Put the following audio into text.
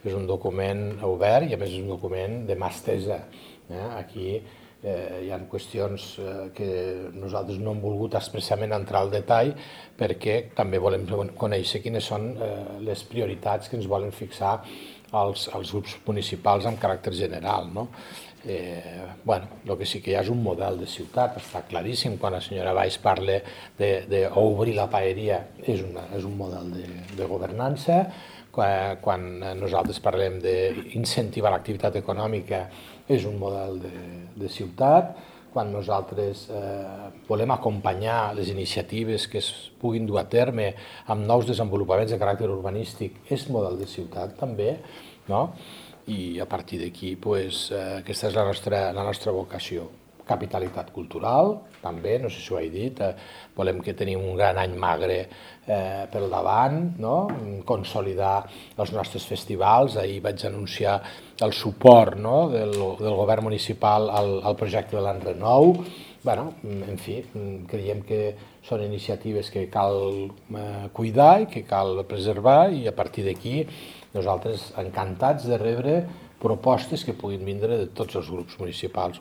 és un document obert i a més és un document de mà estesa. Aquí hi ha qüestions que nosaltres no hem volgut expressament entrar al detall perquè també volem conèixer quines són les prioritats que ens volen fixar els grups municipals amb caràcter general. El que sí que hi ha és un model de ciutat, està claríssim. Quan la senyora Valls parla d'obrir la paeria, és un model de governança. Quan nosaltres parlem d'incentivar l'activitat econòmica, és un model de ciutat. Quan nosaltres volem acompanyar les iniciatives que es puguin dur a terme amb nous desenvolupaments de caràcter urbanístic, és model de ciutat també, i a partir d'aquí aquesta és la nostra vocació. Capitalitat cultural, també, no sé si ho he dit, volem que tenim un gran any magre pel davant, consolidar els nostres festivals. Ahir vaig anunciar el suport del govern municipal al projecte de l'Enrenou. En fi, creiem que són iniciatives que cal cuidar i que cal preservar, i a partir d'aquí nosaltres encantats de rebre propostes que puguin vindre de tots els grups municipals.